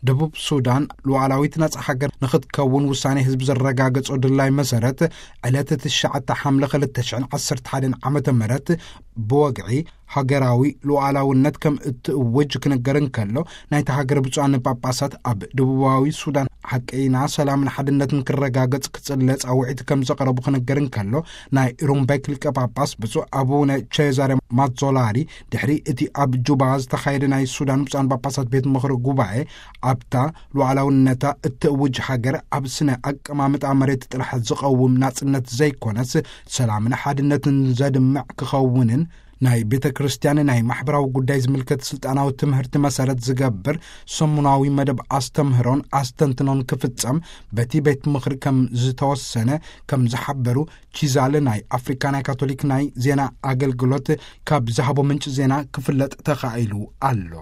ደቡብ ሱዳን ሉዓላዊት ናጻ ሃገር ንኽትከውን ውሳኔ ህዝቢ ዘረጋገጾ ድላይ መሰረት፣ ዕለት ትሽዓተ ሓምለ ክልተ ሽሕን ዓሰርተ ሓደን ዓመተ ምህረት ብወግዒ ሃገራዊ ሉዓላውነት ከም እትእውጅ ክንገር እንከሎ፣ ናይታ ሃገር ብፁዓን ጳጳሳት ኣብ ደቡባዊ ሱዳን ሓቀይና ሰላምን ሓድነትን ክረጋገጽ ክጽለ ጻውዒት ከም ዘቕረቡ ክንገር እንከሎ፣ ናይ ሩምቤክ ሊቀ ጳጳስ ብፁዕ ኣቡነ ቼዛሬ ማዞላሪ ድሕሪ እቲ ኣብ ጁባ ዝተኻየደ ናይ ሱዳን ብፁዓን ጳጳሳት ቤት ምኽሪ ጉባኤ፣ ኣብታ ሉዓላውነታ እትእውጅ ሃገር ኣብ ስነ ኣቀማምጣ መሬት ጥራሕ ዝቐውም ናጽነት ዘይኮነስ፣ ሰላምን ሓድነትን ዘድምዕ ክኸውንን፣ ናይ ቤተ ክርስቲያን ናይ ማሕበራዊ ጉዳይ ዝምልከት ስልጣናዊ ትምህርቲ መሰረት ዝገብር ሰሙናዊ መደብ ኣስተምህሮን ኣስተንትኖን ክፍጸም በቲ ቤት ምኽሪ ከም ዝተወሰነ ከም ዝሓበሩ ቺዛለ ናይ ኣፍሪካ ናይ ካቶሊክ ናይ ዜና ኣገልግሎት ካብ ዝሃቦ ምንጪ ዜና ክፍለጥ ተኻኢሉ ኣሎ።